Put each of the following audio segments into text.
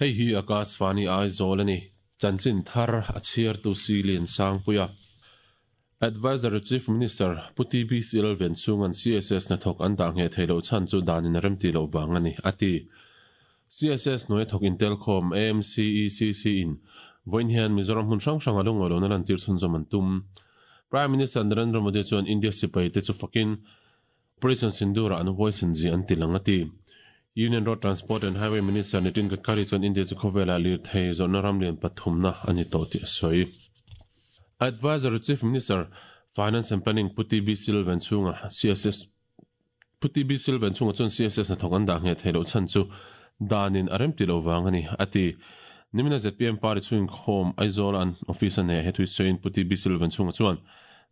Hei hi Akashvani Aizawl a ni. Chanchin thar a chhiartu Silian Sangpuia. Adviser to Chief Minister Pu TBC Lalvenchhunga'n CSS hnathawk an dah ngheh theih loh chhan chu danin a remti loh vang a ni, a ti. CSS hnuaia thawk intelkhawm AMCECC in vawiin hian Mizoram hmun hrang hranga lungawi lohna lantir chhunzawm an tum. Prime Minister Narendra Modi chuan India sipaite chu fakin Operation Sindoor-ah an huaisen zia an ti lang a ti. Union Road Transport and Highway Minister Nitin Gadkari chuan India chu khawvelah lirthei zawrhna ram lian pathumna a ni tawh tih a sawi. Adviser Chief Minister, Finance and Planning Pu TB Silvan chhunga CSS Pu TB Silvan chhunga chuan CSS hnathawk an dah ngheh theih loh chhan chu danin a remti lo vang a ni, a ti. Nimina zpm party chhungin khawm Aizawl-a an office a nei a, he thu sawiin Pu TB Silvan chhunga chuan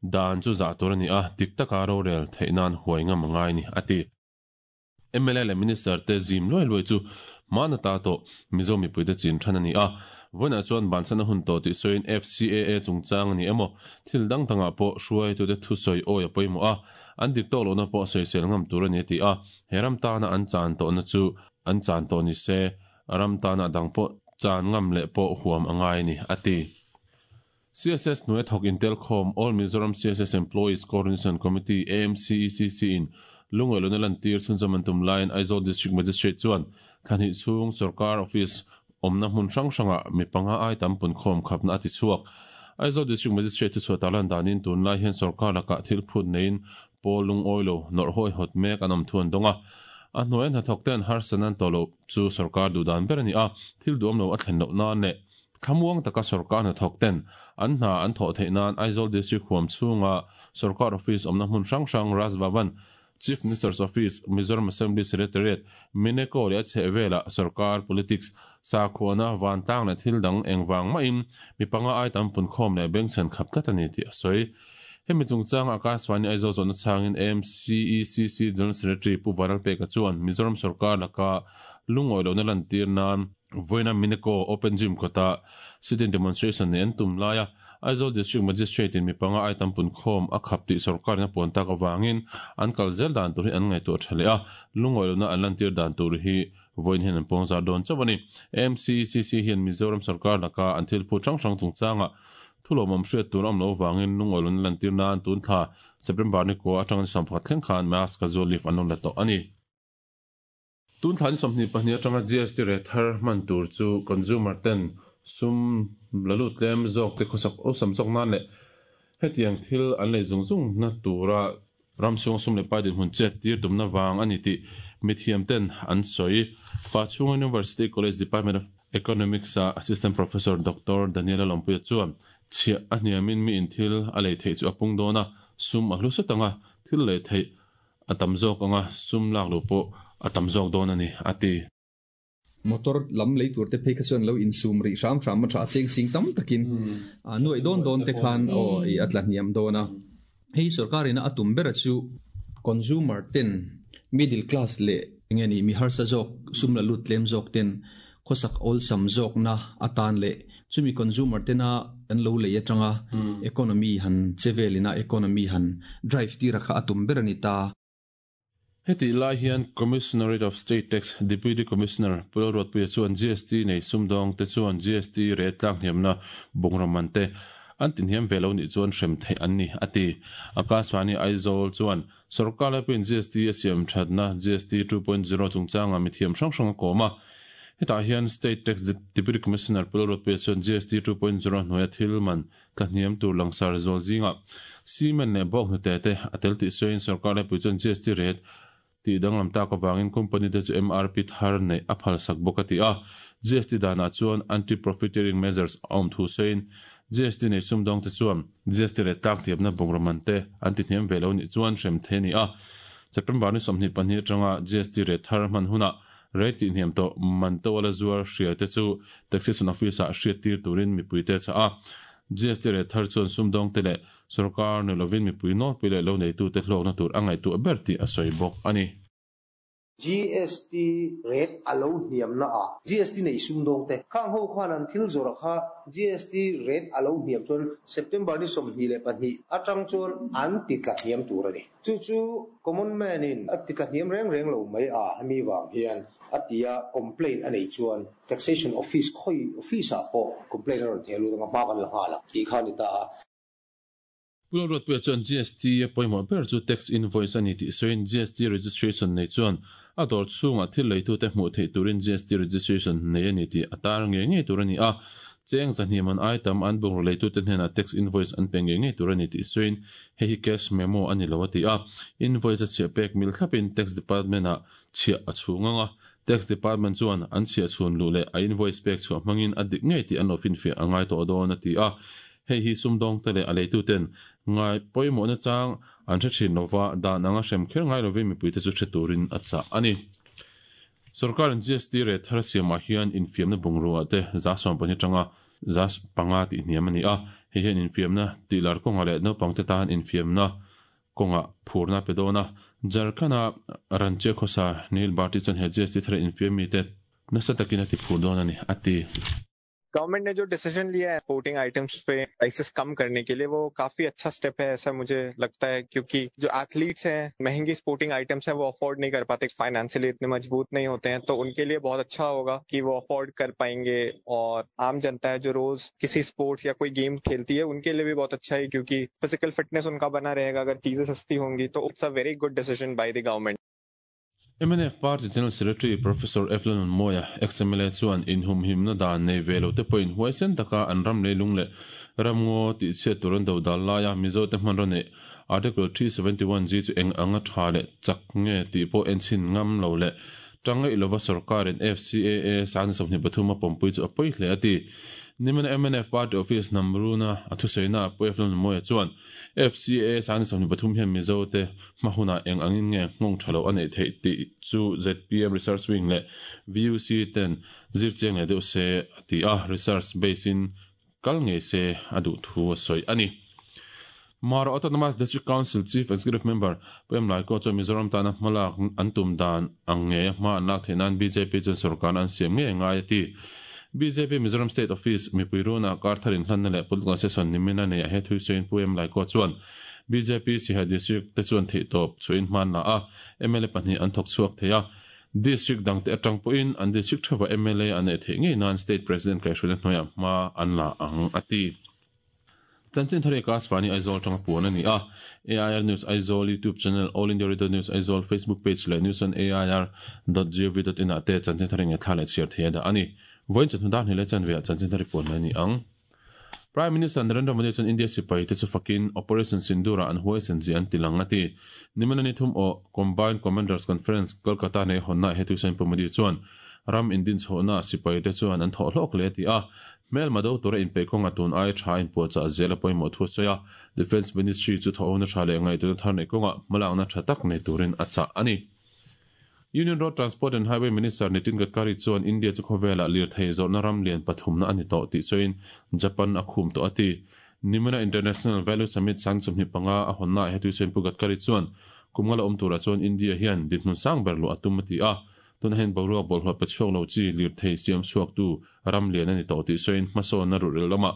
Dan chu zah tur a ni a, dik taka rorel theih nan huai ngam a ngai a ni, a ti. Mla leh Minister te zim luai luai chu hman ata tawh Mizo mipuite chin than a ni a, vawiinah chuan bansan a hun tawh tih sawiin FCAA chungchang a ni emaw, thil dang dangah pawh hruaitute thusawi awi a pawimawh a, an dik tawk lohna pawh sawisel ngam tur a ni a ti a, he ram tana an chan tawhna chu an chan tawh ni se, ram tana dang pawh chan ngam leh pawh huam a ngai a ni, a ti. CSS hnuai thawk intelkhawm All Mizoram CSS Employees Coordination Committee, AMCECC, in lungawihlawhna lantir chhunzawm an tum laiin Aizawl District Magistrate chuan thla hnih chhung sorkar office awmna hmun hrang hrangah mi panga ai tam punkhawm khapna a ti chhuak. Aizawl District Magistrate thuchhuah tarlan danin tunlai hian sorkar lakah thil phut neiin pawl lungawi lo nawrh hawihhawt mek an awm thu an dawng a. A hnuaia hnathawk ten harsatna an tawh loh chu sorkar duhdan ber a ni a, thil duhawm lo a thlen loh nan leh Thlamuang taka sorkar hnathawk ten an hna an thawh theih nan Aizawl District huam chhunga sorkar office awmna hmun hrang hrang Raj Bhavan, Chief Minister's Office, Mizoram Assembly Secretariat, Mineko leh a chhehvelah sorkar, politics, sakhuana, vantlang leh thil dang engvang mahin mi panga ai tam punkhawm leh bengchhen khap tlat a ni tih a sawi. Hemi chungchanga Akashvani Aizawl zawhna chhangin AMCECC General Secretary Pu Vanlalpeka chuan Mizoram sorkar laka lungawi lohna lantir nan Vawiina Mineko Open Gym kawtah sit-in demonstration nei an tum laia Aizawl District Magistrate in mi panga ai tam punkhawm a khap tih sorkarin a puan tak avangin an kal zel dan tur hi an ngaihtuah tha leh a, lungawi lohna an lantir dan tur hi vawiin hian an puang zar dawn chauh a ni. AMCECC hian Mizoram sorkar laka an thil phut hrang hrang chungchangah thulawmawm hriat tur a awm loh avangin lungawi lohna lantir nan tun thla September ni kua atanga ni 11 thleng khan mask casual leave an lo la tawh a ni. Tun thla ni 22 atanga GST rate thar hman tur chu consumer ten sum la lut tlem zawk te khawsak awlsam zawk nan leh hetiang thil an lei zung zung na tura ram chhunga sum leh pai dinhmun chet tir tumna vang a ni tih mithiam ten an sawi. Pachhunga University College Department of Economics a Assistant Professor Doctor Daniela Lawmpuia chuan chhiah a hniamin mi in thil a lei theih chu a pung dawn a, sum a hlu sawt ang a, thil lei theih A tam zawk anga sum lak loh pawh a tam zawk dawn a ni, a ti. Motor lam lei tur te phei kha chuan lo insum rih hram hram a tha a cheng sing tam takin a nuaih dawn dawn te khan aw i a tla hniam dawn a. Hei sorkar ina a tum bera chu consumer ten middle class leh enge ni mi harsa zawk sum la lut tlem zawk ten khawsak awlsam zawkna atan leh chumi consumer tena an lo lei atanga economy han che velina economy han drive tira kha a tum ber a ni ta. Hetih lai hian Commissionerate of State Tax Deputy Commissioner Pu Lalruatpuia chuan GST nei sumdawng te chuan GST rate tlak hniamna bungraw man te an tinhiam ve lo nih chuan hrem theih an ni, a ti. Akashvani Aizawl chuan Sorkar laipawhin GST a siam thatna GST 2.0 chungchangah mithiam hrang hrang a kawm a. Hetah hian State Tax Deputy Commissioner Pu Lalruatpuia chuan GST 2.0 hnuaia thil man tlahniam tur langsar zual zingah cement leh bawk hnute te a tel tih sawiin sorkar laipui chuan GST rate tih danglam tak avangin company te chu MRP thar neih a phalsak bawk a ti a. GST danah chuan anti-profiteering measures a awm thu sawiin GST nei sumdawngte chuan GST leh tlaktiamna bungraw man te an ti hniam ve lo nih chuan hrem thei a ni a. September ni 22 atanga GST rate thar hman hunah rate tihhniam tawh man to a la zuar hria te chu Taxation Office-ah hriattir turin mipuite a chah a. GST rate thar chuan sumdawngte leh sorkar ni lovin mipui nawlpui leh lo neitute hlawkna tur a ngaihtuah ber tih a sawi bawk a ni. GST rate a lo hniamna ah GST nei sumdawng te khang ho khan an thil zawrh kha GST rate a lo hniam chuan September ni 22 atang chuan an ti tla hniam tur a ni. Chu chu common man in a ti tla hniam reng reng lo mai a hemi vang hian a tia complaint a nei chuan taxation office khawi office ah pawh complaint a rawn theh lut anga hma kan la nghal ang tih kha a ni ta a. Pu Lalruatpuia chuan GST a pawimawh ber chu tax invoice a ni tih sawiin GST registration nei chuan a dawr chhungah thil leitute hmuh theih turin GST registration nei a ni tih a tar ngei ngei tur a ni a, cheng zahnih man ai tam an bungraw leitute hnenah tax invoice an pe ngei ngei tur a ni tih sawiin hei hi cash memo a ni lo a ti a, invoice a chhiah pek mil thlapin tax department-ah chhiah a chhung ang a, tax department chuan an chhiah chhun luh leh a invoice pek chhuah hmangin a dik ngei tih an lo finfiah a ngai tawh dawn a ti a. Hei hi sumdawngte leh a leituten ngai pawimawhna chang an hre thin lova, dan anga hrem kher ngai lovin mipuite chu hre turin a chah a ni. Sorkarin GST rate thar siamah hian infiamna bungrua te 12% atanga 5% tih hniam a ni a, hei hian infiamna tihlar kawngah leh naupangte tan infiamna kawngah phurna a pe dawn a. Jharkhand-a Ranchi khawsa Neil Bharti chuan he GST thara infiam mite nasa takin a ti phur dawn a ni, a ti. Government ने जो डिसीजन लिया है sporting items पे prices कम करने के लिए वो काफी अच्छा स्टेप है ऐसा मुझे लगता है, क्योंकि जो एथलीट्स हैं महंगी स्पोर्टिंग आइटम्स हैं वो अफोर्ड नहीं कर पाते, फाइनेंशियली इतने मजबूत नहीं होते हैं, तो उनके लिए बहुत अच्छा होगा कि वो अफोर्ड कर पाएंगे। और आम जनता है जो रोज किसी स्पोर्ट्स या कोई गेम खेलती है उनके लिए भी बहुत अच्छा है, क्योंकि फिजिकल फिटनेस उनका बना रहेगा अगर चीजें सस्ती होंगी तो। It's a very good decision by the government. Mnf Party General Secretary Professor F Lalnunmawia, ex-MLA chuan inhumhimna dan nei ve lote pawhin huaisen taka an ram leilung leh ramngaw tihchhiat tur an do dal laia Mizote hmanraw neih Article 371G chu eng anga tha leh chak nge tih pawh enchhin ngam lo leh tangaih lova sorkarin FCAA 2023 a pawmpui chu a pawi hle a ti. Nimina mnf Party Office Namruna a thusawiina Pu F Lalnunmawia chuan FCAA 2023 hian Mizote hma hunah eng angin nge nghawng tha lo a neih theih tih chu zpm Research Wing leh VUC ten zir chiang leh deuh se a ti a, research base in kal ngei se a duh thu a sawi a ni. Mara Autonomous District Council Chief Executive Member Pu Em Laiko chuan Mizoram tana hmalak an tum dan ang ngeia hma an lak theih nan bjp chuan sorkarna an siam ngei a ngai a ti. Bjp Mizoram State Office mipui runah kar thar inhlanna leh political session nimina neiah he thui sawiin Pu Em Laiko chuan bjp Siha District te chuan theihtawp chhuahin hma an la a, mla pahnih an thawk chhuak thei a. District dangte atang pawhin an district theuhah mla an neih theih ngei nan State President kaihhruaina hnuaiah hma an la ang a ti. Chanchin thar hi Akashvani Aizawl atanga puan a ni a. AIR News Aizawl YouTube channel, All India Radio News Aizawl Facebook page leh newsonair dot gov dot in ah te chanchin thar hi ngaihthla leh chhiar thei a dah a ni. Vawiin chawhnu dar hnih leh chanve ah chanchin thar hi puan mai a ni ang. Prime Minister Narendra Modi chuan India sipai te chu fakin Operation Sindoor ah an huaisen zia an ti lang a ti. Nimina ni thum aw Combined Commanders Conference Kolkata nei hawnna ah he tuisain Pu Modi chuan ram indinchhohna sipai te chuan an thawh hlawk hle a ti a. Hmelma do tura inpeih kawnga tun aia tha inpuahchah zel a pawimawh thu a sawi a, Defence Ministry chu thawhona tha leh ngaihtuahna thar neih kawngah hmalakna tha tak nei turin a chah a ni. Union Road Transport and Highway Minister Nitin Gadkari chuan India chu khawvelah lirthei zawrhna ram lian pathumna a ni tawh tih sawiin Japan a khum tawh a ti. Nimina International Value Summit 25 a hawnnaah he tuisawiin Pu Gadkari chuan kum nga la awm turah chuan India hian dinhmun sang ber luah a tum a ti a, Tunah hian boruak bawlhhlawh pe chhuak lo chi lirthei siam chhuaktu ram lian a ni tawh tih sawiin hmasawnna ruhrel lamah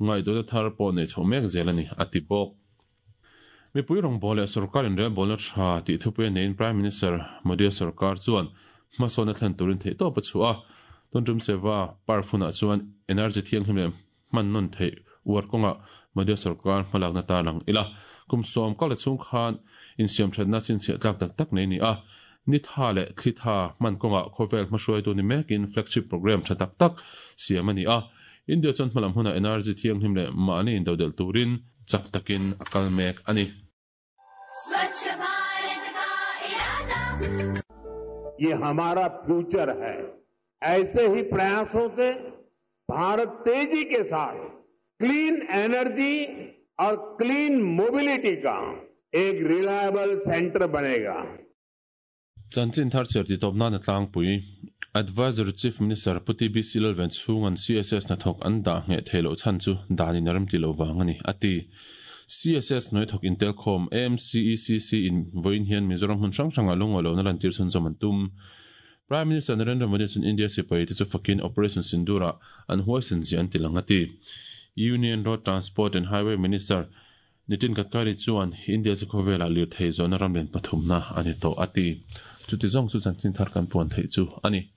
ngaihtuahna thar pawh nei chhoh mek zel a ni, a ti bawk. Mipui rawngbâwl leh sorkar inrelbâwlna tha tih thupui a neiin Prime Minister Modi-a sorkar chuan hmasawnna thlen turin theihtawp a chhuah a. Tun tum Seva Parv hunah chuan energy thianghlim leh hman nawn theih uar kawngah Modi-a sorkar hmalakna tarlang ila. Kum sawm kal la chhung khan insiamthatna chhinchhiah tlak tak tak nei a ni a. Ni tha leh thli tha hman kawngah khawvel hmahruaitu ni mekin flagship programme tha tak tak siam a ni a. India chuan hmalam hunah energy thianghlim leh mahni indodelh turin chak takin a kal mek a ni. Swachh Bharat ka irada. Ye hamara future hai. Aise hi prayason se Bharat तेजी के साथ clean energy और clean mobility का एक reliable centre बनेगा। Chanchin thar chhiar tih tawp nana tlangpui Advisory Chief Minister Pu TBC Lalven chhunga'n CSS hnathawk an dah ngheh theih loh chhan chu danin a remti lo vang a ni, a ti. CSS hnuai thawk intelkhawm AMCECC in vawiin hian Mizoram hmun hrang hrangah lungawi lantir chhunzawm an tum. Prime Minister Narendra Modi chuan India sipai te chu fakin Operation Sindoor-ah an huaisen zia an ti lang a ti. Union Road Transport and Highway Minister Nitin Gadkari chuan India chu khawvelah lirthei zawhna ramlian pathumna a ni tawh a ti. Chuti zawng chu chanchin thar kan puan theih chu a ni.